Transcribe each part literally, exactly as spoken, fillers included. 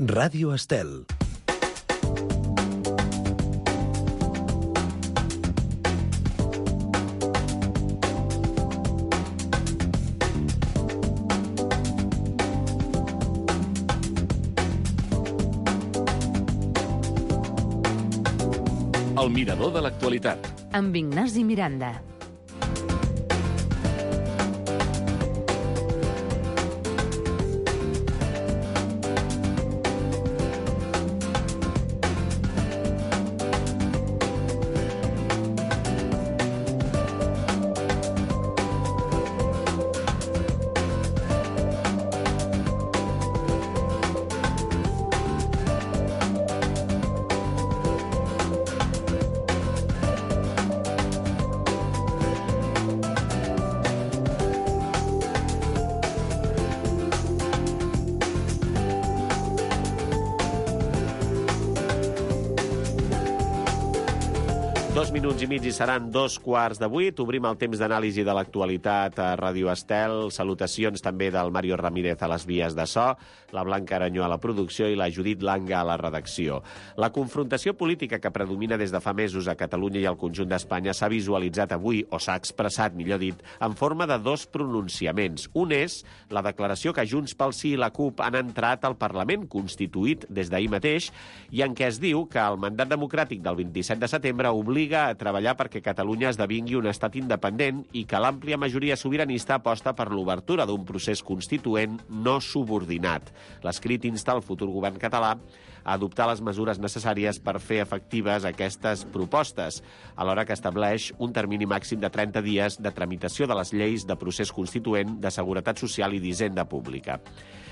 Ràdio Estel. El mirador de l'actualitat. Amb Ignasi Miranda. Dos minuts i mig i seran dos quarts de vuit. Obrim el temps d'anàlisi de l'actualitat a Ràdio Estel. Salutacions també del Mario Ramírez a les vies de so, la Blanca Aranyó a la producció i la Judit Langa a la redacció. La confrontació política que predomina des de fa mesos a Catalunya i al conjunt d'Espanya s'ha visualitzat avui, o s'ha expressat, millor dit, en forma de dos pronunciaments. Un és la declaració que Junts pel Sí i la CUP han entrat al Parlament, constituït des d'ahir mateix, i en què es diu que el mandat democràtic del vint-i-set de setembre obliga a treballar perquè Catalunya esdevingui un estat independent i que l'àmplia majoria sobiranista aposta per l'obertura d'un procés constituent no subordinat. L'escrit insta el futur govern català a adoptar les mesures necessàries per fer efectives aquestes propostes, alhora que estableix un termini màxim de trenta dies de tramitació de les lleis de procés constituent, de seguretat social i d'hisenda pública.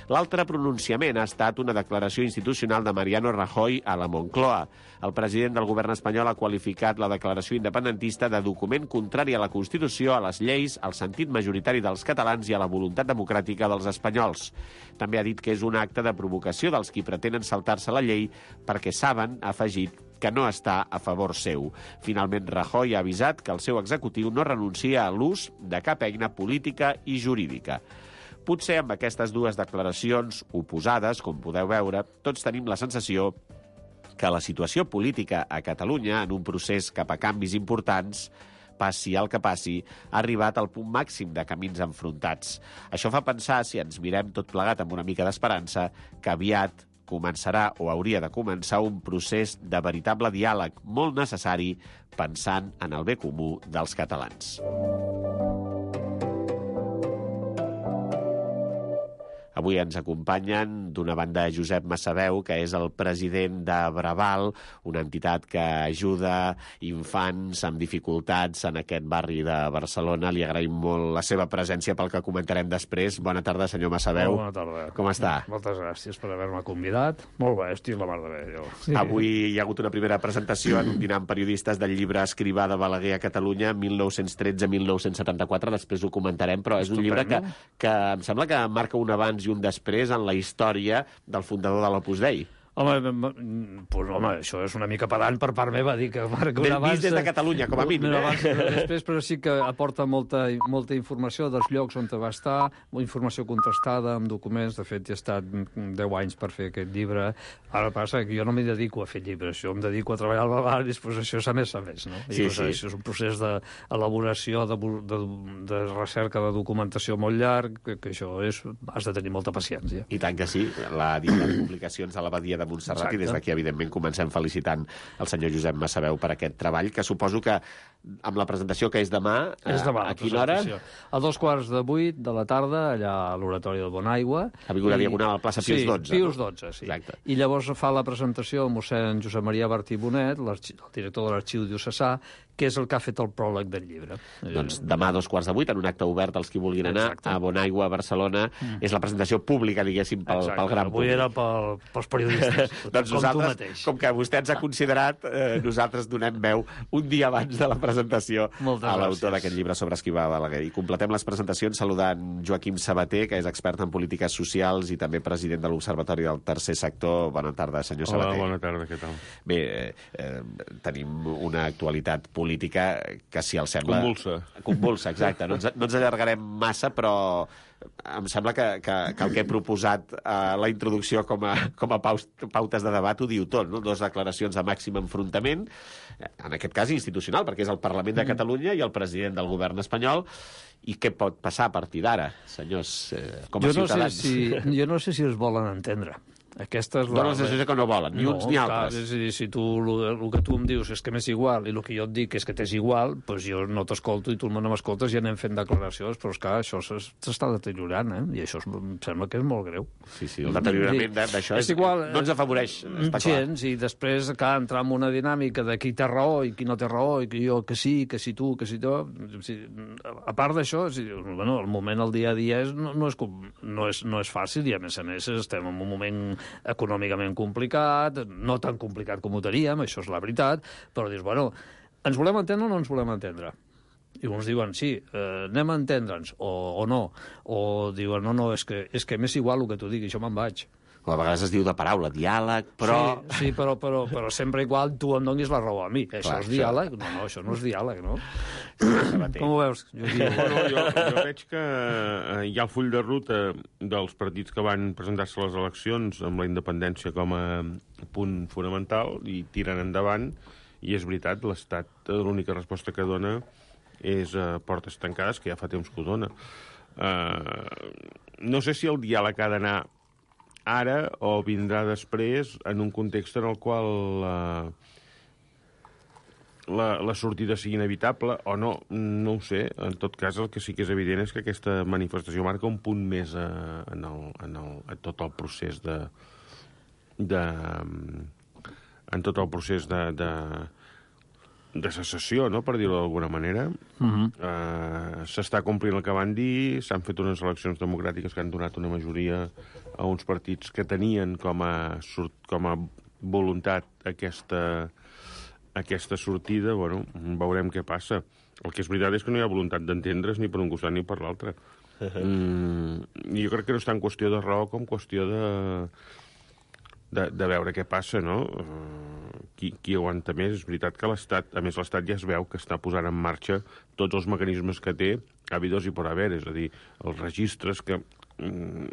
L'altre pronunciament ha estat una declaració institucional de Mariano Rajoy a la Moncloa. El president del govern espanyol ha qualificat la declaració independentista de document contrari a la Constitució, a les lleis, al sentit majoritari dels catalans i a la voluntat democràtica dels espanyols. També ha dit que és un acte de provocació dels qui pretenen saltar-se la llei perquè saben, ha afegit, que no està a favor seu. Finalment, Rajoy ha avisat que el seu executiu no renuncia a l'ús de cap eina política i jurídica. Potser amb aquestes dues declaracions oposades, com podeu veure, tots tenim la sensació que la situació política a Catalunya, en un procés cap a canvis importants, passi el que passi, ha arribat al punt màxim de camins enfrontats. Això fa pensar, si ens mirem tot plegat amb una mica d'esperança, que aviat començarà o hauria de començar un procés de veritable diàleg molt necessari pensant en el bé comú dels catalans. Avui ens acompanyen d'una banda Josep Massaveu, que és el president de Braval, una entitat que ajuda infants amb dificultats en aquest barri de Barcelona. Li agraïm molt la seva presència pel que comentarem després. Bona tarda, senyor Massaveu. Bona tarda. Com està? Moltes gràcies per haver-me convidat. Molt bé, estic la mar de bé, jo. Sí. Avui hi ha hagut una primera presentació en un dinar amb periodistes del llibre Escrivà de Balaguer a Catalunya, mil nou-cents tretze a mil nou-cents setanta-quatre. Després ho comentarem, però és un llibre que, que em sembla que marca un abans i un després en la història del fundador de l'Opus Dei. Home, pues, home, això és una mica pedant per part meva, dir que marca un abans... Vist des de Catalunya, com a mínim, eh? Abans, després, però sí que aporta molta, molta informació dels llocs on va estar, informació contrastada amb documents. De fet, he estat deu anys per fer aquest llibre. Ara passa que jo no m'hi dedico a fer llibres, jo em dedico a treballar al Bavar i després això s'ha més a més, no? I sí, pues, sí. Això és un procés d'elaboració, de, de, de recerca, de documentació molt llarg, que, que això és... has de tenir molta paciència. I tant que sí. La dita de publicacions a l'Abadia de Montserrat. Exacte. I des d'aquí, evidentment, comencem felicitant el senyor Josep Massaveu per aquest treball, que suposo que amb la presentació que és demà, és demà a quina hora? A dos quarts de vuit de la tarda, allà a l'Oratori del Bonaigua. Avinguda Diagonal, a la plaça Pius dotze. Sí, Pius dotze, sí. Exacte. I llavors fa la presentació el mossèn Josep Maria Bertí Bonet, el director de l'Arxiu Diocesà, que és el que ha fet el pròleg del llibre. Doncs demà a dos quarts de vuit, en un acte obert als qui vulguin anar, exacte, a Bonaigua, a Barcelona. Mm. És la presentació pública, diguéssim, pel, pel gran públic. Avui era pel, pels periodistes, doncs com tu mateix. Com que vostè ens ha considerat, eh, nosaltres donem veu un dia abans de la presentació Moltes a l'autor gràcies. d'aquest llibre sobre Escrivà Balaguer. I completem les presentacions saludant Joaquim Sabater, que és expert en polítiques socials i també president de l'Observatori del Tercer Sector. Bona tarda, senyor Sabater. Hola, bona tarda, què tal? Bé, eh, tenim una actualitat política que, si el sembla... Convulsa. Convulsa, exacte. No ens, no ens allargarem massa, però em sembla que, que, que el que he proposat a la introducció com a, com a paus, pautes de debat ho diu tot, no? Dos declaracions de màxim enfrontament, en aquest cas institucional, perquè és el Parlament de Catalunya i el president del govern espanyol. I què pot passar a partir d'ara, senyors, eh, com a jo no ciutadans? Sé si, jo no sé si es volen entendre. Aquesta és la... Dones la sensació que no volen, ni no, uns ni altres. Clar, és a dir, si tu, el, el que tu em dius és que m'és igual i el que jo et dic és que t'és igual, doncs jo no t'escolto i tu no m'escoltes i anem fent declaracions, però és que això s'està deteriorant, eh? I això es, em sembla que és molt greu. Sí, sí, el deteriorament d'això és, igual, no ens afavoreix, està clar. Gens, i després que entrar en una dinàmica de qui té raó i qui no té raó, i que jo que sí, que si tu, que si tu... A part d'això, bueno, el moment, el dia a dia, és, no, no, és, no, és, no és fàcil i, a més a més, estem en un moment econòmicament complicat, no tan complicat com ho teníem, això és la veritat, però dius, bueno, ens volem entendre o no ens volem entendre? I uns diuen, sí, eh, anem a entendre'ns, o, o no, o diuen, no, no, és que, és que m'és igual el que tu diguis, jo me'n vaig. O a vegades es diu de paraula, diàleg, però... Sí, sí però, però, però sempre igual tu em donis la raó a mi. Això Clar, és diàleg? No, no, això no és diàleg, no? Sí, com ho veus? Jo, bueno, jo, jo veig que eh, hi ha el full de ruta dels partits que van presentar-se a les eleccions amb la independència com a punt fonamental i tiren endavant, i és veritat, l'Estat, l'única resposta que dona és uh, portes tancades, que ja fa temps que ho dona. Uh, no sé si el diàleg ha d'anar ara o vindrà després en un context en el qual uh, la, la sortida sigui inevitable o no, no ho sé. En tot cas, el que sí que és evident és que aquesta manifestació marca un punt més uh, en, el, en, el, en tot el procés de... de en tot el procés de... de de secessió, no?, per dir-ho d'alguna manera. Uh-huh. Uh, s'està complint el que van dir, s'han fet unes eleccions democràtiques que han donat una majoria a uns partits que tenien com a, com a voluntat aquesta, aquesta sortida. Bueno, veurem què passa. El que és veritat és que no hi ha voluntat d'entendre's ni per un costat ni per l'altre. Uh-huh. Mm, jo crec que no és tant qüestió de raó com qüestió de... De, de veure què passa, no? Uh, qui, qui aguanta més? És veritat que l'Estat, a més l'Estat ja es veu que està posant en marxa tots els mecanismes que té, habidos i por haver, és a dir, els registres que um,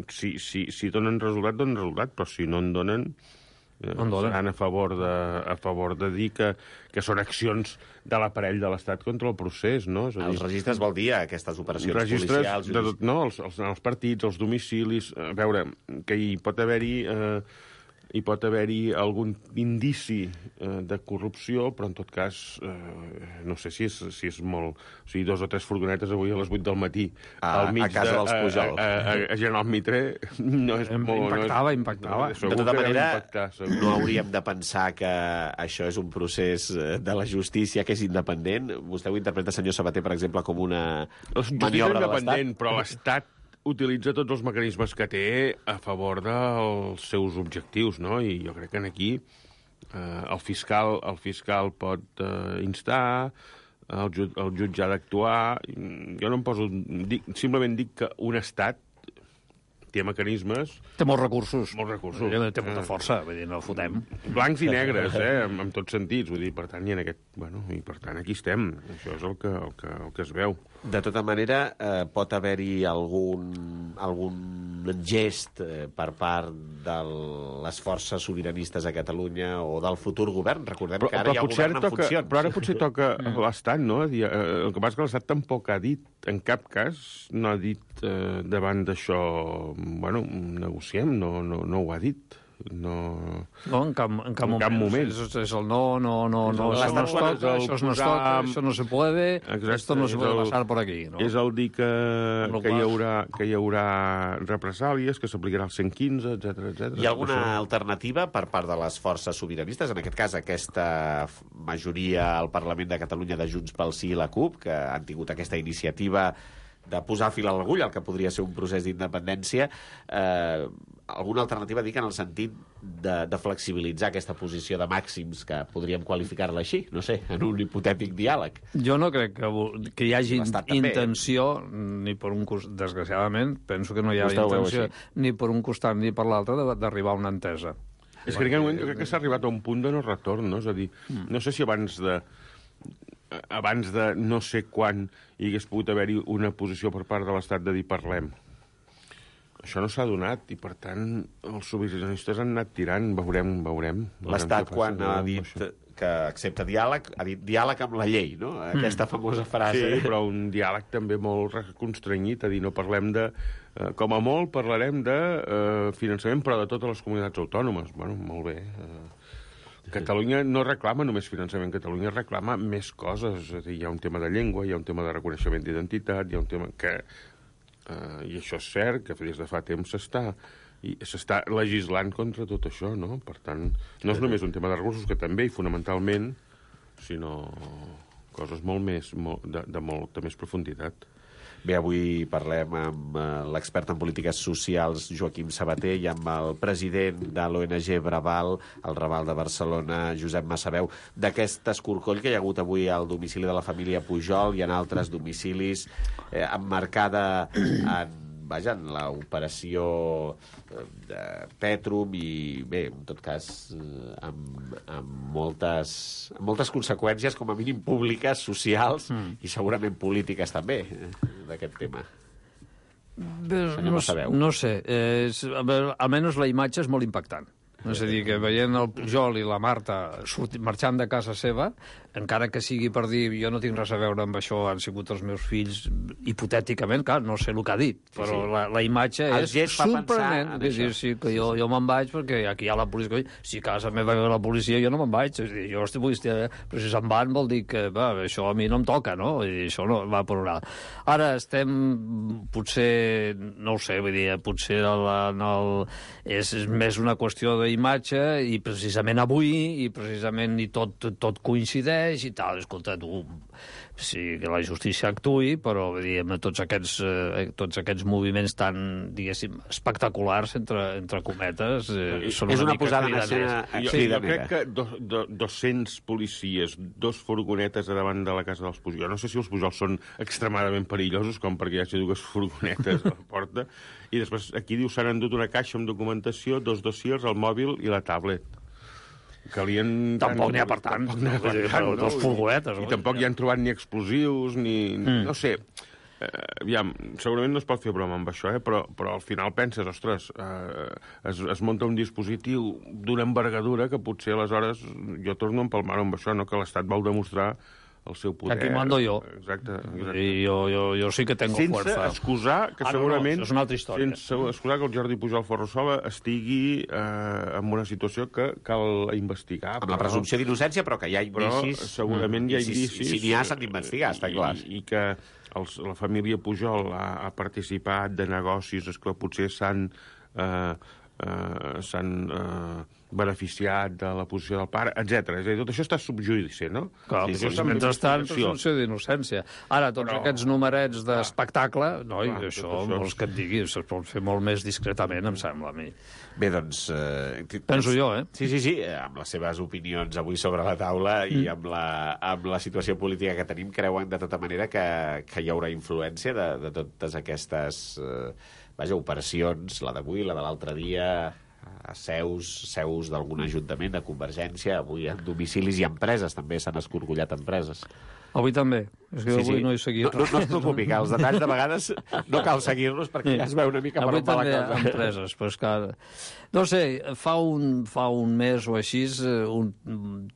si, si, si donen resultat, donen resultat, però si no en donen, eh, seran a favor, de, a favor de dir que, que són accions de l'aparell de l'Estat contra el procés, no? És a dir, els registres vol dir aquestes operacions registres policials... de tot, no, els, els, els partits, els domicilis... A veure, que hi pot haver-hi... Eh, hi pot haver-hi algun indici eh, de corrupció, però en tot cas eh, no sé si és, si és molt... O sigui, dos o tres furgonetes avui a les vuit del matí a, al mig a casa de, dels Pujol. A, a, a, a General Mitre no és molt... Impactava, no és, impactava. No, de tota manera, impactar, no hauríem de pensar que això és un procés de la justícia que és independent. Vostè ho interpreta, senyor Sabater, per exemple, com una maniobra de l'Estat? Però l'Estat utilitza tots els mecanismes que té a favor dels seus objectius, no? I jo crec que aquí eh, el, fiscal, el fiscal pot eh, instar, el, jut, el jutge ha d'actuar. Jo no em poso... Dic, simplement dic que un estat té mecanismes... Té molts recursos. Molts recursos. Té molta força, vull dir, no el fotem. Blancs i negres, eh, en, en tots sentits. Vull dir, per tant, i en aquest... Bueno, i per tant, aquí estem. Això és el que, el que, el que es veu. De tota manera, eh, pot haver-hi algun, algun gest eh, per part de les forces sobiranistes a Catalunya o del futur govern. Recordem però, que ara hi ha govern en toca, funcions. Però ara potser toca l'Estat, no? El que passa és que l'Estat tampoc ha dit, en cap cas, no ha dit eh, davant d'això, bueno, negociem, no, no, no ho ha dit. No, no en cap, en cap en moment. Cap moment. És, és el no, no, no, no, el, això no es toca, això no es toca, això no se puede, exacte, esto no se puede el, passar por aquí. No? És el dir que, que, hi haurà, que hi haurà represàlies, que s'aplicarà el cent quinze, etcètera, etcètera. Hi ha alguna això... alternativa per part de les forces sobiranistes? En aquest cas, aquesta majoria al Parlament de Catalunya de Junts pel Sí i la CUP, que han tingut aquesta iniciativa de posar fil a l'agulla al que podria ser un procés d'independència, eh, alguna alternativa, dic, en el sentit de, de flexibilitzar aquesta posició de màxims, que podríem qualificar-la així, no sé, en un hipotètic diàleg. Jo no crec que, que hi hagi també, intenció, ni per un costat, desgraciadament, penso que no hi ha Vostè intenció, ni per un costat ni per l'altre, d'arribar a una entesa. És que en aquest moment jo crec que s'ha arribat a un punt de no retorn, no? És a dir, no sé si abans de abans de no sé quan hi hagués pogut haver-hi una posició per part de l'Estat de dir parlem. això no s'ha donat, i per tant els sobiranistes han anat tirant, veurem, veurem. L'Estat, quan ha dit que accepta diàleg, ha dit diàleg amb la llei, no? Aquesta famosa frase. Sí, però un diàleg també molt constrenyit, a dir, no parlem de... Eh, com a molt parlarem de eh, finançament, però de totes les comunitats autònomes. Bueno, molt bé. Eh, Catalunya no reclama només finançament, Catalunya reclama més coses. És a dir, hi ha un tema de llengua, hi ha un tema de reconeixement d'identitat, hi ha un tema que... Eh, i això és cert, que des de fa temps s'està... i s'està legislant contra tot això, no? Per tant, no és només un tema de recursos, que també, i fonamentalment, sinó coses molt més, molt, de, de molta més profunditat. Bé, avui parlem amb uh, l'expert en polítiques socials Joaquim Sabater i amb el president de l'O N G Braval, el Raval de Barcelona, Josep Massaveu, d'aquest escorcoll que hi ha hagut avui al domicili de la família Pujol i en altres domicilis, eh, emmarcada en vaja, en l'operació de Petrum i, bé, en tot cas, amb, amb, moltes, amb moltes conseqüències, com a mínim públiques, socials mm. i segurament polítiques també, d'aquest tema. Bé, no, no sé, eh, és, almenys la imatge és molt impactant. És a dir, que veient el Pujol i la Marta sortir, marxant de casa seva, encara que sigui per dir jo no tinc res a veure amb això, han sigut els meus fills, hipotèticament, clar, no sé el que ha dit, però sí, sí. La, la imatge el és sorprenent. És dir, sí, que jo, jo me'n vaig perquè aquí hi ha la policia. Si a casa meva ve la policia, jo no me'n vaig. És dir, jo estic, estic, però si se'n van vol dir que va, això a mi no em toca, no? I això no va per una altra. Ara estem, potser, no ho sé, vull dir, potser el, el, és més una qüestió de imatge, i precisament avui, i precisament i tot, tot coincideix i tal. Escolta, tu, sí, que la justícia actuï, però diguem, tots, aquests, eh, tots aquests moviments tan, diguéssim, espectaculars, entre, entre cometes, eh, són és una, una posada en escena. Jo, sí, jo crec que do, do, dos-cents policies, dos furgonetes a davant de la casa dels Pujol. No sé si els Pujol són extremadament perillosos, com perquè hi hagi dues furgonetes a la porta, i després aquí diu s'han endut una caixa amb documentació, dos dossiers, el mòbil i la tablet. Calien... Tampoc n'hi ha per tant. Tampoc n'hi ha per tant, no? Dos furgonetes. I, i tampoc hi han trobat ni explosius, ni... Mm. No sé, eh, aviam, segurament no es pot fer broma amb això, eh? però, però al final penses, ostres, eh, es, es munta un dispositiu d'una envergadura que potser aleshores jo torno a empalmar-ho amb això, no? Que l'Estat vol demostrar el seu poder. Aquí mando jo. Exacte. exacte. I jo, jo, jo sí que tengo sense fuerza. Sense excusar que ah, segurament... No, no, és una altra història. Sense excusar que el Jordi Pujol Ferrusola estigui eh, en una situació que cal investigar. Amb però, la presumpció d'innocència, però que hi ha indicis... Però segurament hi ha indicis... Si, si n'hi ha, s'han d'investigar, està clar. I, i que els, la família Pujol ha, ha participat de negocis, esclar, potser s'han... Eh, eh, s'han... Eh, beneficiat de la posició del pare, etcètera. És a dir, tot això està subjudici, no? Clar, sí, sí, mentrestant, presumpció d'innocència. Ara, tots però... aquests numerets d'espectacle, no, i això, això, vols que et digui, es pot fer molt més discretament, em sembla a mi. Bé, doncs... Eh, Penso jo, eh? Sí, sí, sí, amb les seves opinions avui sobre la taula mm. i amb la, amb la situació política que tenim, creuen de tota manera que, que hi haurà influència de, de totes aquestes eh, vaja, operacions, la d'avui, la de l'altre dia... a seus, seus d'algun ajuntament, de Convergència, avui en domicilis i empreses, també s'han escorcollat empreses. Avui també. És que sí, avui sí. no he seguit. No, no, no es preocupi, que els detalls de vegades no cal seguir-los perquè ja es veu una mica per on va la cosa. Avui també empreses, però és que... No sé, fa un, fa un mes o així, un,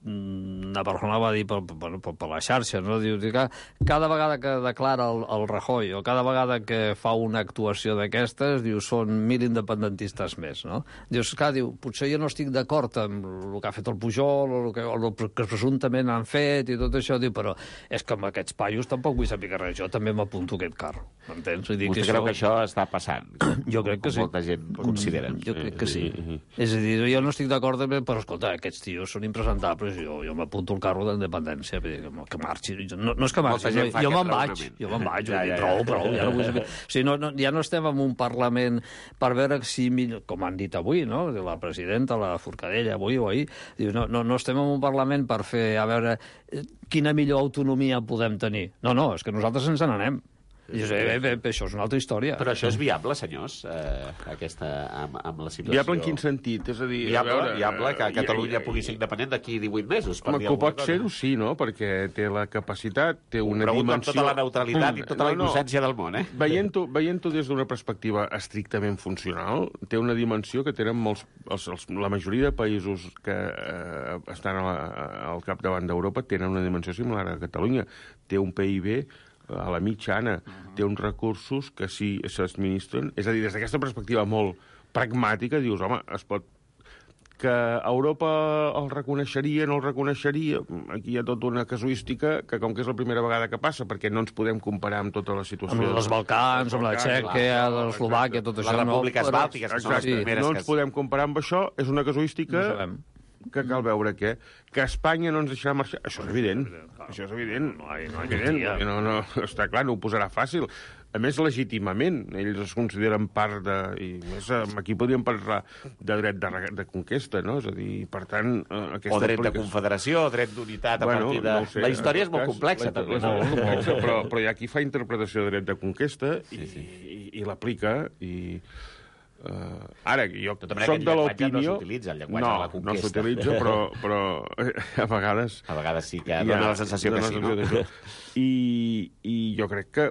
una persona va dir per, per, per, per la xarxa, no? Diu que cada vegada que declara el, el Rajoy o cada vegada que fa una actuació d'aquestes, diu, són mil independentistes més, no? Dius, clar, diu, potser jo no estic d'acord amb el que ha fet el Pujol o el que, o el que presumptament han fet i tot això, diu, però és que amb aquests paios tampoc vull saber res, jo també m'apunto aquest carro, m'entens? Vostè que creu això... que això està passant? Jo crec que sí. Molta gent considera. Jo crec que sí. És a dir, jo no estic d'acord, però escolta, aquests tios són impresentables, jo, jo m'apunto el carro d'independència, que, que marxi. No, no és que marxi, no, jo me'n vaig, jo me'n vaig, ja, ja, prou, prou, ja no vull saber. O sigui, no, no, ja no estem en un Parlament per veure si, com han dit avui, no? La presidenta, la Forcadella, avui o ahir, diu, no, no, no estem en un Parlament per fer, a veure, quina millor autonomia podem tenir. No, no, és que nosaltres ens n'anem. I jo sé, bé, bé, bé, això és una altra història. Però això és viable, senyors, eh, aquesta, amb, amb la situació... Viable en quin sentit? És a dir, Viable, a veure, viable que Catalunya i- i- pugui ser independent d'aquí divuit mesos, per Home, dir que alguna pot cosa. ser-ho, sí, no? Perquè té la capacitat, té una Pregunto amb dimensió... tota la neutralitat i tota la innocència del món, eh? Veient-ho veient des d'una perspectiva estrictament funcional, té una dimensió que tenen molts... Els, els, la majoria de països que eh, estan a la, al capdavant d'Europa tenen una dimensió similar a Catalunya. Té un P I B a la mitjana, uh-huh. té uns recursos que si s'administren... És a dir, des d'aquesta perspectiva molt pragmàtica, dius, home, es pot... Que Europa el reconeixeria, no el reconeixeria... Aquí hi ha tota una casuística que, com que és la primera vegada que passa, perquè no ens podem comparar amb tota la situació... Amb els Balcans, amb la Txèquia, l'Eslovàquia, tot això... Les no, repúbliques però- bàltiques, que són les Exacte, primeres no que... ens podem comparar amb això, és una casuística... No sabem. que cal veure què. Que Espanya no ens deixarà marxar... Això és evident. Això és evident. No hi- no hi evident. garantia. No, no, està clar, no ho posarà fàcil. A més, legítimament. Ells es consideren part de... I més, eh, aquí podríem parlar de dret de, re- de conquesta, no? És a dir, per tant... Eh, aquesta O dret de aplicació- confederació, o dret d'unitat a Bueno, partir de... no ho sé, la història en és tot molt cas, complexa, la- també. És molt complexa, però, però hi ha qui fa interpretació de dret de conquesta i, Sí, sí. i, i l'aplica i... Uh, ara, jo Tota manera, soc aquest de llenguatge no l'opinió... s'utilitza, el llenguatge no, de la conquesta. no s'utilitza, però, però eh, a vegades... A vegades sí que hi ha- dona la sensació que dona sí, la no? sensació d'això. I, I jo crec que,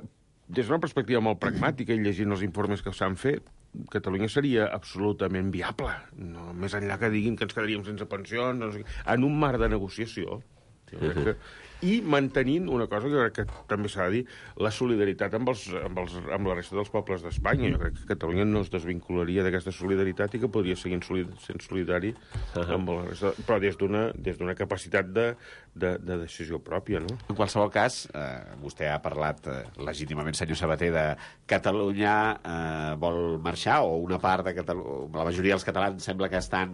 des d'una perspectiva molt pragmàtica, i llegint els informes que s'han fet, Catalunya seria absolutament viable. No, més enllà que diguin que ens quedaríem sense pensions, no sé, què, en un marc de negociació. Jo crec que, i mantenint una cosa que jo crec que també s'ha de dir, la solidaritat amb, els, amb, els, amb la resta dels pobles d'Espanya. Jo crec que Catalunya no es desvincularia d'aquesta solidaritat i que podria seguir solid, sent solidari amb la resta, però des d'una des d'una capacitat de, de, de decisió pròpia, no? En qualsevol cas, eh, vostè ha parlat eh, legítimament, senyor Sabater, de Catalunya eh, vol marxar, o una part de Catalunya, la majoria dels catalans sembla que estan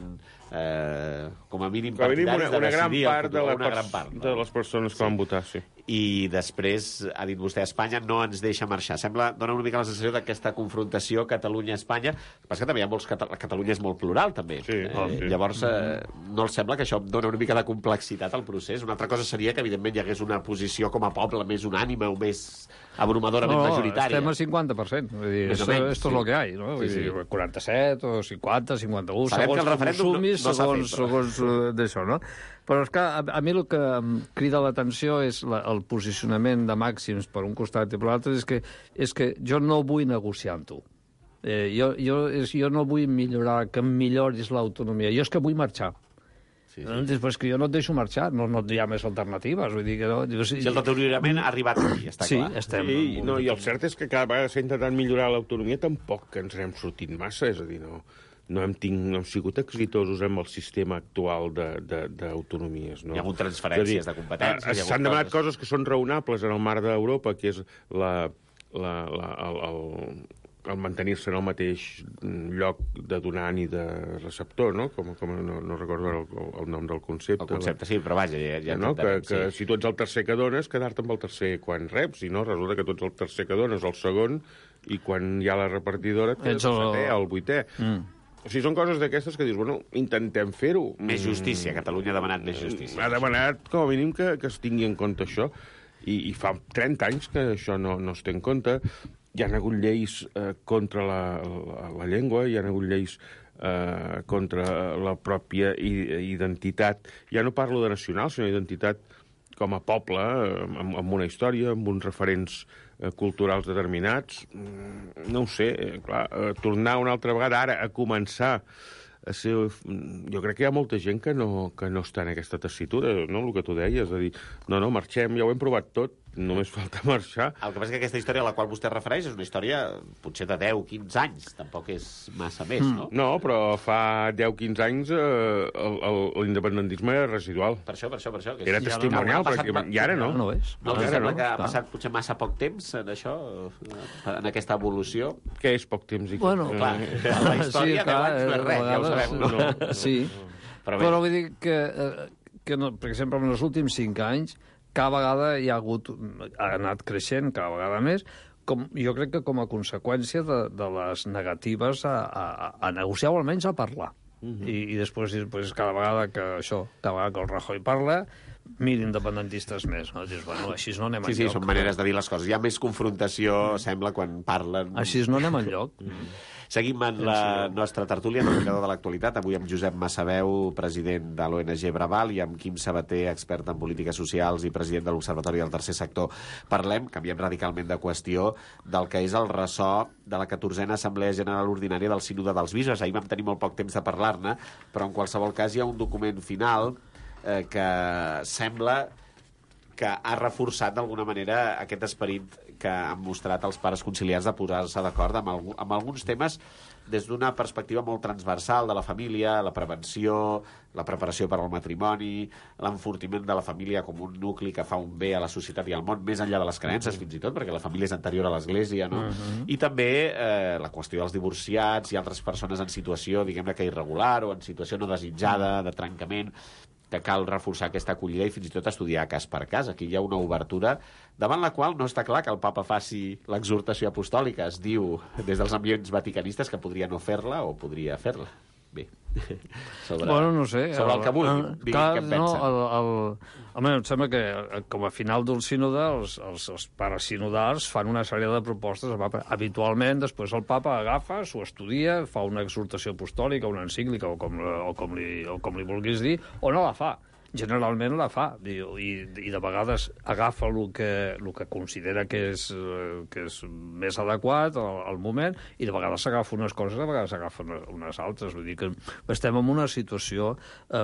eh, com a mínim Com a mínim partidaris una, una de gran decidir el part, futur, de, la una pers- gran part, no? de les persones que van votar, sí. I després, ha dit vostè, Espanya no ens deixa marxar. Sembla, dona una mica la sensació d'aquesta confrontació Catalunya-Espanya. El que passa que també hi ha molts... Cata... Catalunya és molt plural, també. Sí, eh, oh, sí. Llavors, eh, no els sembla que això dona una mica de complexitat al procés? Una altra cosa seria que, evidentment, hi hagués una posició com a poble més unànime o més abrumadorament No, majoritària. estem al cinquanta per cent. Vull dir, Més o esto, menys, esto sí. es lo que hay, no? Vull Sí, sí. dir, quaranta-set o cinquanta, cinquanta-u, Sabem segons que el com referèndum no- sumis, no s'ha segons, fet, però. segons eh, d'això, no? Però és que a, a mi el que em crida l'atenció és la, el posicionament de màxims per un costat i per l'altre, és que, és que jo no vull negociar amb tu. Eh, jo, jo, és, jo no vull millorar, que em milloris l'autonomia. Jo és que vull marxar. Sí, No? sí. Després que jo no et deixo marxar, no, no hi ha més alternatives. Vull dir que no, jo, Si el deteriorament ha arribat aquí, està sí, clar. estem... Sí, en un- no, i el cert és que cada vegada s'ha intentat millorar l'autonomia, tampoc que ens n'hem sortit massa, és a dir, no, no, hem, tinc, no hem sigut exitosos amb el sistema actual de- de- d'autonomies. No? Hi ha hagut transferències de competències, eh, hi ha hagut S'han demanat coses- coses que són raonables en el marc d'Europa, que és la, la, la, el, el, el mantenir-se en el mateix lloc de donant i de receptor, no? Com, com no, no recordo ara el, el nom del concepte. El concepte, sí, però vaja, ja, ja no? que, entenem, que sí. si tu ets el tercer que dones, quedar-te amb el tercer quan reps, i no, resulta que tu ets el tercer que dones, el segon, i quan hi ha la repartidora, et quedes Ets el el- setè, el vuitè. Mm. O sigui, són coses d'aquestes que dius, bueno, intentem fer-ho. Més justícia, Catalunya ha demanat més justícia. Ha demanat, com a mínim, que, que es tingui en compte això. I, i fa trenta anys que això no, no es té en compte. Hi ha hagut lleis eh, contra la, la, la llengua, hi ha hagut lleis eh, contra la pròpia i- identitat. Ja no parlo de nacional, sinó identitat com a poble, eh, amb, amb una història, amb uns referents eh, culturals determinats. Mm, No ho sé, eh, clar, eh, tornar una altra vegada ara a començar a ser... Jo crec que hi ha molta gent que no, que no està en aquesta tessitura, no?, el que tu deies, és a dir, no, no, marxem, ja ho hem provat tot, només falta marxar. El que passa és que aquesta història a la qual vostè es refereix és una història potser de deu, quinze anys, tampoc és massa més, no? No, però fa deu quinze anys eh, el- el- l'independentisme era residual. Per això, per això, per això. Que Era és- testimonial, Ha passat- pràcticament, i ara no. Ara no és. No, Ara us sembla no, que ha clar. passat potser massa poc temps en això, en aquesta evolució? Què és poc temps? I què- Bueno, eh, Clar, la història deu anys no és res, ja ho a sabem. vegades, no? Sí, Però bé. però vull dir que, eh, que no, per exemple, en els últims cinc anys, cada vegada hi ha hagut, ha anat creixent cada vegada més, com, jo crec que com a conseqüència de, de les negatives a, a, a negociar o almenys a parlar. Uh-huh. I, I després, després, cada vegada que això, cada vegada que el Rajoy parla, mil independentistes més. No? Dius, bueno, així no anem sí, enlloc. Sí, són maneres de dir les coses. Hi ha més confrontació, mm. sembla, quan parlen... Així no anem enlloc. Mm. Seguim en la nostra tertúlia, en el mirador de l'actualitat. Avui amb Josep Massaveu, president de l'O N G Braval, i amb Quim Sabater, expert en polítiques socials i president de l'Observatori del Tercer Sector. Parlem, canviem radicalment de qüestió, del que és el ressò de la catorzena Assemblea General Ordinària del Sínode dels Bisbes. Ahir vam tenir molt poc temps de parlar-ne, però en qualsevol cas hi ha un document final eh, que sembla que ha reforçat d'alguna manera aquest esperit que han mostrat els pares conciliars de posar-se d'acord amb, alg amb alguns temes des d'una perspectiva molt transversal de la família, la prevenció, la preparació per al matrimoni, l'enfortiment de la família com un nucli que fa un bé a la societat i al món, més enllà de les creences, fins i tot, perquè la família és anterior a l'Església, no? Uh-huh. I també eh, la qüestió dels divorciats i altres persones en situació, diguem-ne que irregular o en situació no desitjada, de trencament, que cal reforçar aquesta acollida i fins i tot estudiar cas per cas. Aquí hi ha una obertura davant la qual no està clar que el papa faci l'exhortació apostòlica. Es diu des dels ambients vaticanistes que podria no fer-la o podria fer-la. Bé, sobre, bueno, no sé, sobre el, el que vulgui, digui què en pensa. No, el, el, home, em sembla que com a final d'un sínode els, els, els pares sinodals fan una sèrie de propostes. Habitualment, després el papa agafa, s'ho estudia, fa una exhortació apostòlica, una encíclica, o com, o com, li, o com li vulguis dir, o no la fa. Generalment la fa, i, i de vegades agafa el que, el que considera que és, que és més adequat al, al moment, i de vegades s'agafa unes coses, de vegades s'agafa unes, unes altres. Vull dir que estem en una situació, eh,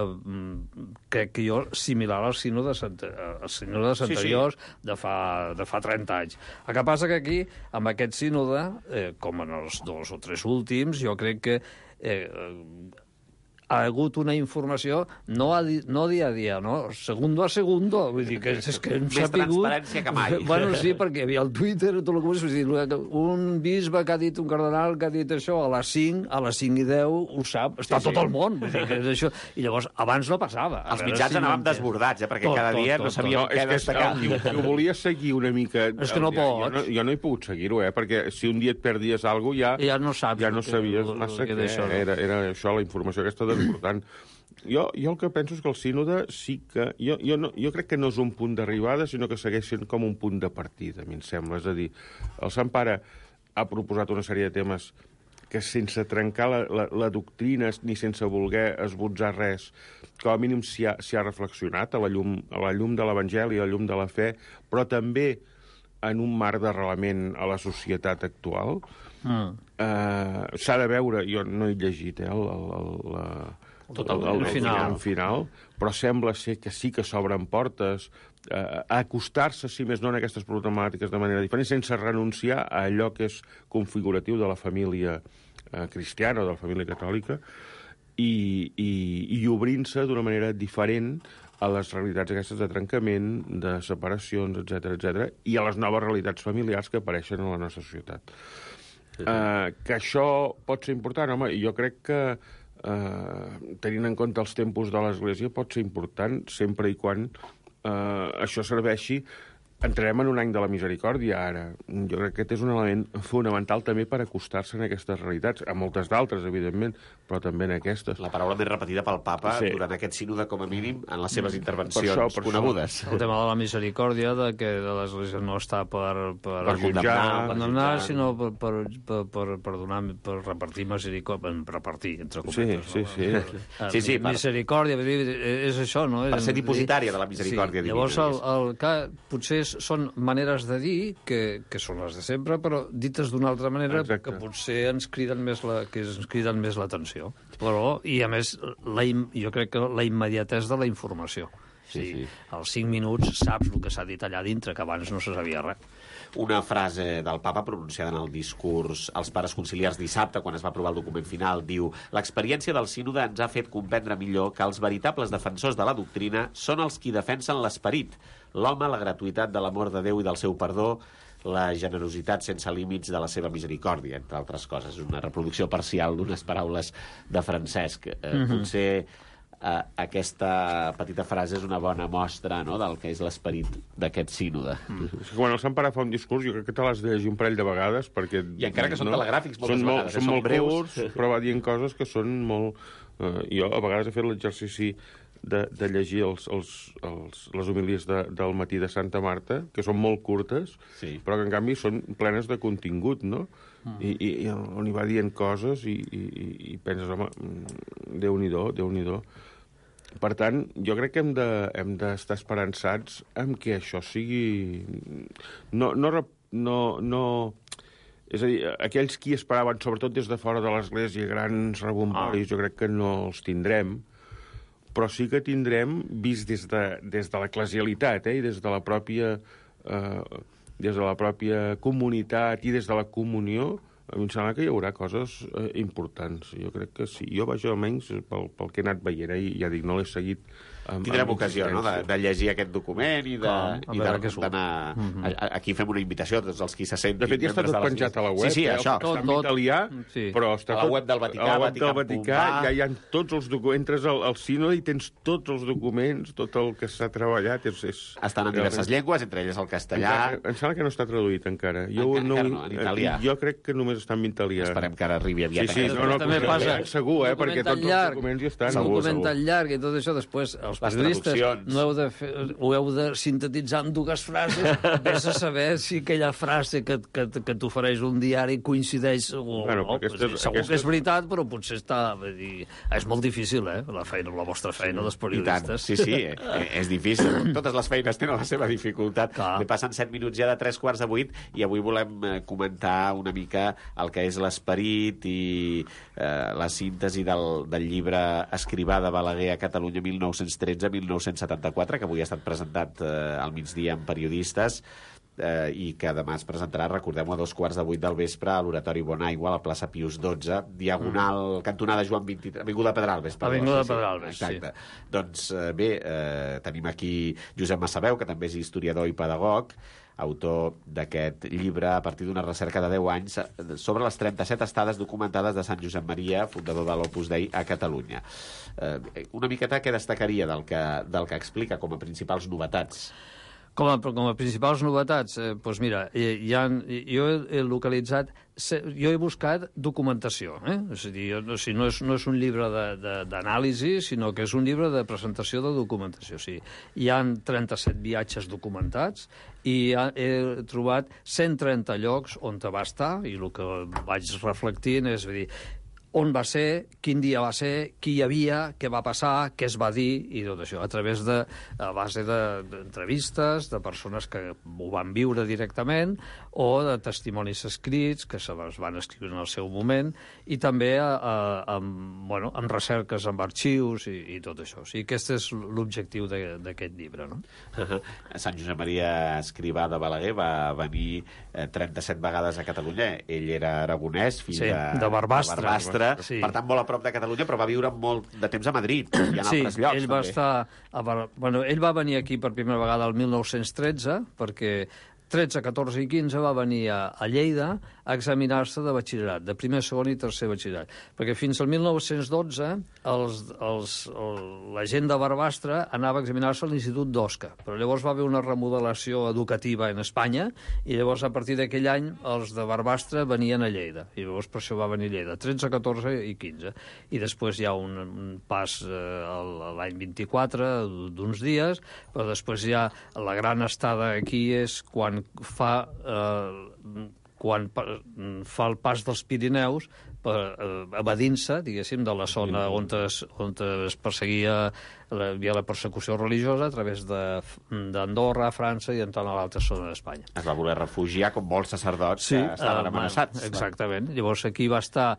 crec que jo, similar als sínodes, als sínodes anteriors sí, sí. De, fa, de fa trenta anys. El que passa que aquí, amb aquest sínode, eh, com en els dos o tres últims, jo crec que eh, ha hagut una informació no, a di, no dia a dia, no? Segundo a segundo. Vull dir que és que hem Més sapigut... transparència que mai. Bueno, sí, perquè hi havia el Twitter, tot el que vull dir, un bisbe que ha dit, un cardenal que ha dit això, a les cinc, a les cinc i deu, ho sap, està sí, tot sí. el món. Vull dir que és això. I llavors, abans no passava. Els mitjans si anàvem desbordats, eh? Perquè tot, cada dia tot, no sabíem no, què destacar. Jo, jo volia seguir una mica... És que no pots. Jo no, jo no he pogut seguir-ho, eh? Perquè si un dia et perdies alguna cosa, ja... Ja no saps. Ja no sabies massa què. Era, era això, la informació aquesta desbordant. Jo, jo el que penso és que el sínode sí que... Jo, jo, no, jo crec que no és un punt d'arribada, sinó que segueix sent com un punt de partida, a mi em sembla. És a dir, el Sant Pare ha proposat una sèrie de temes que sense trencar la, la, la doctrina ni sense voler esbotzar res, com a mínim s'hi ha, s'hi ha reflexionat a la llum, a la llum de l'Evangeli, a la llum de la fe, però també en un marc d'arrelament a la societat actual. Mm. Eh, s'ha de veure, jo no he llegit eh, el, el, el, la, tot el, el, el, final. el final, però sembla ser que sí que s'obren portes eh, a acostar-se, si més no, en aquestes problemàtiques de manera diferent, sense renunciar a allò que és configuratiu de la família eh, cristiana o de la família catòlica, i, i, i obrint-se d'una manera diferent a les realitats aquestes de trencament, de separacions, etcètera, etcètera, i a les noves realitats familiars que apareixen a la nostra societat. Sí, sí. Eh, que això pot ser important, home, i jo crec que Uh, tenint en compte els tempos de l'Església pot ser important sempre i quan uh, això serveixi. Entrarem en un any de la misericòrdia ara. Jo crec que aquest és un element fonamental també per acostar-se en aquestes realitats, a moltes d'altres, evidentment, però també en aquestes. La paraula més repetida pel papa sí. durant aquest sínode, com a mínim, en les seves intervencions per això, per conegudes. Això. El tema de la misericòrdia, de que l'Església no està per, per, per jutjar, per condemnar, sinó per, per, per, per, per, donar, per repartir misericòrdia, repartir, entre cometes. Sí, no? sí, sí. sí, sí per... Misericòrdia, és això, no? Per ser dipositària de la misericòrdia sí. Llavors, el, el, que potser són maneres de dir que, que són les de sempre, però dites d'una altra manera. Exacte. Que potser ens criden més la, que ens criden més l'atenció. Però, i a més, la, jo crec que la immediatesa de la informació. Sí, sí. Als cinc minuts saps el que s'ha dit allà dintre, que abans no se sabia res. Una frase del papa pronunciada en el discurs als pares conciliars dissabte, quan es va aprovar el document final, diu: l'experiència del sínode ens ha fet comprendre millor que els veritables defensors de la doctrina són els qui defensen l'esperit, l'home, la gratuïtat de l'amor de Déu i del seu perdó, la generositat sense límits de la seva misericòrdia, entre altres coses. Una reproducció parcial d'unes paraules de Francesc. Eh, mm-hmm. Potser uh, aquesta petita frase és una bona mostra, no?, del que és l'esperit d'aquest sínode. Mm. Quan el Sant Pare fa un discurs, jo crec que te l'has de llegir un parell de vegades, perquè... I encara que són no? telegràfics moltes són vegades, molt, eh? són, són molt breus. curts, però va dient coses que són molt... Uh, jo a vegades he fet l'exercici de, de llegir els, els, els, les homilies de, del matí de Santa Marta, que són molt curtes, sí. però que en canvi són plenes de contingut, no? Mm. I, i, i on hi va dient coses i, i, i penses, home, Déu-n'hi-do, Déu-n'hi-do. Per tant, jo crec que hem de, hem d'estar esperançats en que això sigui... No, no, no, no... És a dir, aquells qui esperaven, sobretot des de fora de l'Església, grans rebomboris, ah. jo crec que no els tindrem, però sí que tindrem, vist des de, des de l'eclesialitat, eh, i des de la pròpia... Eh, des de la pròpia comunitat i des de la comunió, a mi em sembla que hi haurà coses eh, importants. Jo crec que sí. Jo, vaja, almenys, pel, pel que he anat veient, eh, i ja dic, no l'he seguit... Amb, Tindrem amb ocasió, no?, de, de llegir aquest document i de, Com, i de, d'anar... Uh -huh. Aquí fem una invitació a tots els qui se sentin... De fet, ja està tot penjat a la web. Sí, sí, eh? això. Està en italià, sí. però està a la tot... web del Vaticà, a la web del Vaticà, ja hi ha tots els documents. Entres al, al sínode i tens tots els documents, tot el que s'ha treballat. És, és... Estan en diverses llengües, entre elles el castellà... Encara, em sembla que no està traduït encara. Jo, encara, no, encara no, en italià. Jo crec que només està en italià. Esperem que ara arribi aviat. Sí, sí, no, no, també passa. Segur, eh, perquè tots llarg, els documents hi estan. Un document tan llarg i tot això, després, els periodistes no heu de fer, ho heu de sintetitzar en dues frases, vés a saber si aquella frase que, que, que t'ofereix un diari coincideix o bueno, no. Aquesta, Segur aquesta... que és veritat, però potser està... Dir, és molt difícil, eh, la feina, la vostra feina, dels periodistes. Sí, sí, eh, és difícil. Totes les feines tenen la seva dificultat. Clar. Passen set minuts ja de tres quarts de vuit i avui volem comentar una mica el que és l'esperit i eh, la síntesi del, del llibre Escrivà de Balaguer a Catalunya mil nou-cents tretze a mil nou-cents setanta-quatre, que avui ha estat presentat eh, al migdia amb periodistes eh, i que demà es presentarà, recordem-ho, a dos quarts de vuit del vespre a l'Oratori Bonaigua, a la plaça Pius dotze, diagonal, mm. cantonada Joan vint-i-tres, Avinguda Pedralbes. Perdó, Avinguda sí, Pedralbes, sí. Exacte. Sí. Doncs eh, bé, eh, tenim aquí Josep Massaveu, que també és historiador i pedagog, autor d'aquest llibre a partir d'una recerca de deu anys sobre les trenta-set estades documentades de Sant Josep Maria, fundador de l'Opus Dei a Catalunya. Eh, una miqueta què destacaria del que, del que explica com a principals novetats? Com a, com a principals novetats, eh, doncs mira, hi ha, jo he localitzat, jo he buscat documentació, eh? És a dir, o sigui, no, és, no és un llibre d'anàlisi, sinó que és un llibre de presentació de documentació. O sigui, hi ha trenta-set viatges documentats i he trobat cent trenta llocs on va estar, i el que vaig reflectint és, a dir, on va ser, quin dia va ser, qui hi havia, què va passar, què es va dir, i tot això, a través de, a base d'entrevistes, de, de persones que ho van viure directament, o de testimonis escrits, que se les van escriure en el seu moment, i també a, a, amb, bueno, amb recerques, amb arxius, i, i tot això. O sigui, aquest és l'objectiu d'aquest llibre, no? Sant Josep Maria Escrivà de Balaguer va venir eh, trenta-set vegades a Catalunya. Ell era aragonès, fill sí, de, de Barbastre. De Barbastre. Sí. Per tant, molt a prop de Catalunya, però va viure molt de temps a Madrid i en sí, altres llocs. Ell va també. estar a Bar... bueno, ell va venir aquí per primera vegada el mil nou-cents tretze, perquè tretze, catorze i quinze va venir a, a Lleida a examinar-se de batxillerat, de primer, segon i tercer batxillerat. Perquè fins al mil nou-cents dotze els, els, el, la gent de Barbastre anava a examinar-se a l'Institut d'Osca, però llavors va haver una remodelació educativa en Espanya i llavors a partir d'aquell any els de Barbastre venien a Lleida, i llavors per això va venir a Lleida, tretze, catorze i quinze. I després hi ha un, un pas eh, l'any vint-i-quatre d'uns dies, però després hi ha la gran estada aquí és quan fa eh, quan fa el pas dels Pirineus per, eh, evadint-se, diguéssim, de la zona on es, on es perseguia, la, havia la persecució religiosa a través d'Andorra, França i entrant a l'altra zona d'Espanya. Es va voler refugiar com molts sacerdots sí, que estaven eh, amenaçats. Exactament. Llavors aquí va estar,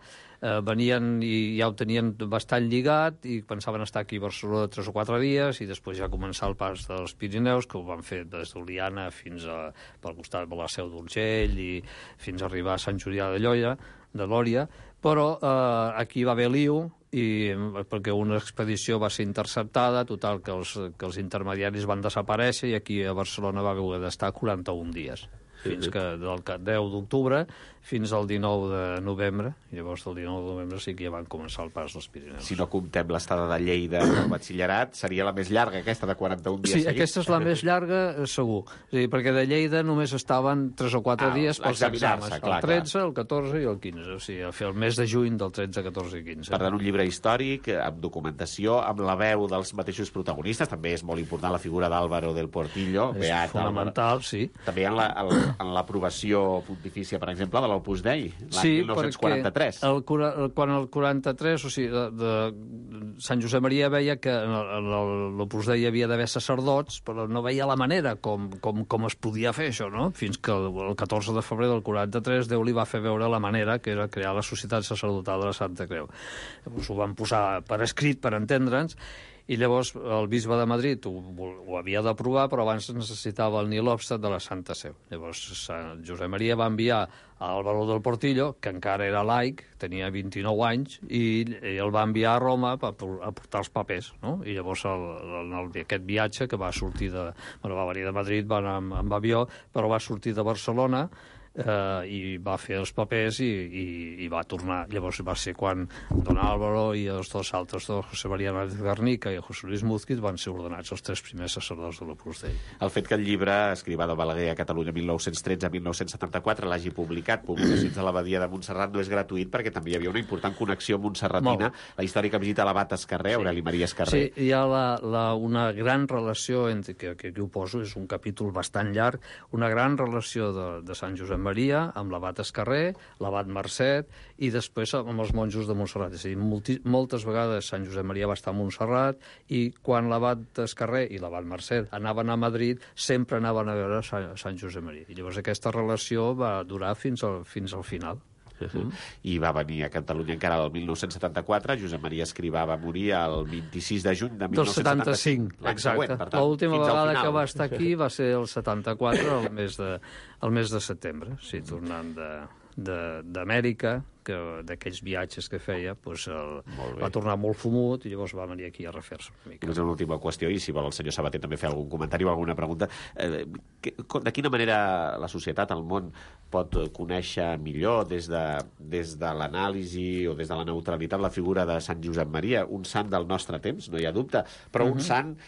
eh, venien i ja ho tenien bastant lligat i pensaven estar aquí a Barcelona tres o quatre dies i després ja començar el pas dels Pirineus, que ho van fer des d'Oliana fins a, pel costat de la Seu d'Urgell i fins a arribar a Sant Julià de Lloia, de Lòria, però eh, aquí va haver lío i, perquè una expedició va ser interceptada, total que els, que els intermediaris van desaparèixer i aquí a Barcelona va haver d'estar quaranta-un dies. fins que del deu d'octubre fins al dinou de novembre, i llavors del dinou de novembre sí que ja van començar el pas dels Pirineus. Si no comptem l'estada de Lleida del batxillerat, seria la més llarga, aquesta de quaranta-un dies Sí, seguits. aquesta és la més llarga, segur. És a dir, perquè de Lleida només estaven tres o quatre Ah, dies pels examinar-se, exàmens. clar, El tretze, el catorze i el quinze. O sigui, a fer el mes de juny del tretze, catorze i quinze. Per tant, un llibre històric, amb documentació, amb la veu dels mateixos protagonistes. També és molt important la figura d'Álvaro del Portillo. És Beat fonamental, sí. També en la- el- en l'aprovació pontifícia, per exemple, de l'Opus Dei, l'any Sí, mil nou-cents quaranta-tres. perquè el, cura- el, quan el quaranta-tres, o sigui, de, de, Sant Josep Maria veia que en el- en el- l'Opus Dei hi havia d'haver sacerdots, però no veia la manera com, com, com es podia fer això, no? Fins que el, el catorze de febrer del quaranta-tres Déu li va fer veure la manera que era crear la Societat Sacerdotal de la Santa Creu. Llavors ho van posar per escrit, per entendre'ns, i llavors el bisbe de Madrid ho, ho havia d'aprovar, però abans necessitava el nil obstat de la Santa Seu. Llavors Sant Josep Maria va enviar a Álvaro del Portillo, que encara era laic, tenia vint-i-nou anys, i, i el va enviar a Roma per, a portar els papers, no? I llavors el, el, el, aquest viatge que va sortir de... Bueno, va venir de Madrid, va anar amb, amb avió, però va sortir de Barcelona, eh, i va fer els papers i, i, i va tornar. Llavors va ser quan Don Álvaro i els dos altres dos, José María Nández Garnica i José Luis Múzquiz, van ser ordenats els tres primers sacerdots de l'Opus Dei. El fet que el llibre, Escrivà de Balaguer a Catalunya mil nou-cents tretze a mil nou-cents setanta-quatre, l'hagi publicat, Publicacions de l'Abadia de Montserrat, no és gratuït perquè també hi havia una important connexió montserratina, la històrica visita a l'abat Escarrer, sí. Aureli Maria Escarrer. Sí, hi ha la, la, una gran relació, entre, que, que aquí ho poso, és un capítol bastant llarg, una gran relació de, de Sant Josep Maria amb l'abat Escarrer, l'abat Marcet, i després amb els monjos de Montserrat. És a dir, molti, moltes vegades Sant Josep Maria va estar a Montserrat, i quan l'abat Escarrer i l'abat Marcet anaven a Madrid, sempre anaven a veure Sant, Sant Josep Maria. I llavors aquesta relació va durar fins al, fins al final. Uh-huh. I va venir a Catalunya encara el mil nou-cents setanta-quatre. Josep Maria Escrivà va morir el vint-i-sis de juny de mil nou-cents setanta-cinc. Del setanta-cinc, exacte. L'última vegada que va estar aquí va ser el setanta-quatre, el mes de, el mes de setembre, sí, tornant de d'Amèrica, d'aquells viatges que feia, doncs el, va tornar molt fumut i llavors va venir aquí a refer-se una mica. És una última qüestió, i si vol el senyor Sabater també fer algun comentari o alguna pregunta. Eh, que, de quina manera la societat, el món, pot conèixer millor des de, des de l'anàlisi o des de la neutralitat la figura de Sant Josep Maria, un sant del nostre temps, no hi ha dubte, però uh-huh. un sant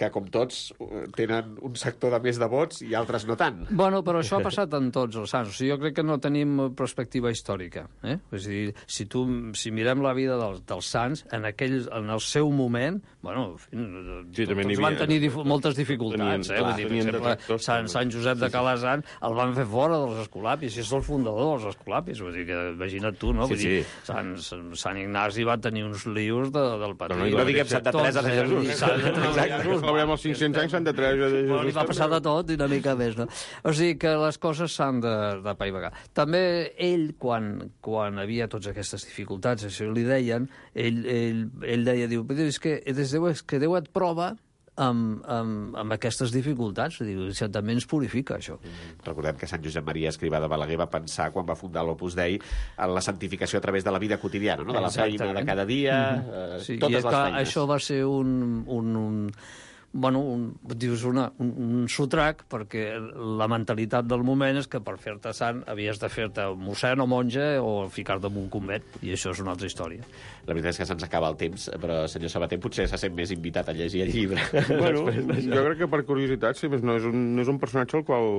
que, com tots, tenen un sector de més de vots i altres no tant. Bueno, però això ha passat en tots els sants. O sigui, jo crec que no tenim perspectiva històrica. Eh? És a dir, si, tu, si mirem la vida dels, dels sants, en, aquell, en el seu moment, bueno, sí, tots havia, van tenir dif moltes dificultats. Tenien, eh? Vull dir, per exemple, Sant, Sant Josep de Calasant el van fer fora dels escolapis, i és el fundador dels escolapis. Vull dir, que imagina't tu, no? Sí, Vull dir, sí. Sant, Sant Ignasi va tenir uns lius de, del patrí. No, no, no diguem Santa Teresa de Jesús. Exacte. Celebrem els cinc-cents anys Santa Teresa de Jesús. Però li va passar de tot i una mica més, no? O sigui que les coses s'han de, de paivagar. També ell, quan, quan havia totes aquestes dificultats, això li deien, ell, ell, ell deia, diu, és que, és que Déu et prova amb, amb, amb aquestes dificultats. Diu, també ens purifica, això. Recordem que Sant Josep Maria Escrivà de Balaguer va pensar, quan va fundar l'Opus Dei, en la santificació a través de la vida quotidiana, no? De la feina de cada dia, mm-hmm. eh, sí, totes les clar, feines. Això va ser un... un, un bueno, un, dius una, un, un sotrac, perquè la mentalitat del moment és que per fer-te sant havies de fer-te mossèn o monja o ficar-te en un convent, i això és una altra història. La veritat és que se'ns acaba el temps, però, senyor Sabater, potser se sent més invitat a llegir el llibre. Bueno, jo crec que per curiositat, sí, no és un, no és un personatge al qual,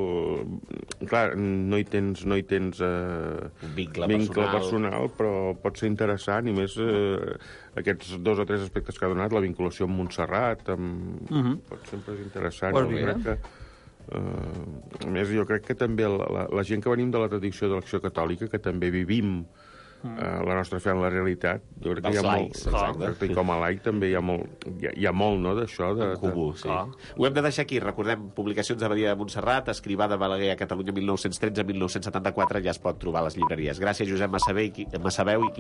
clar, no hi tens, no hi tens eh, un vincle, vincle personal. personal, però pot ser interessant, i més eh, aquests dos o tres aspectes que ha donat, la vinculació amb Montserrat, amb... uh-huh. pot sempre és interessant. Pues jo crec que, eh, a més, jo crec que també la, la, la gent que venim de la tradició de l'Acció Catòlica, que també vivim Uh, la nostra fe en la realitat, jo crec que hi ha laics, molt, exacte, i com a laic també hi ha molt, hi ha, hi ha molt no, d'això. De, en comú, de... sí. Ah. Ho hem de deixar aquí. Recordem, Publicacions de Badia de Montserrat, Escrivà de Balaguer a Catalunya mil nou-cents tretze a mil nou-cents setanta-quatre, ja es pot trobar a les llibreries. Gràcies, Josep Massabeu i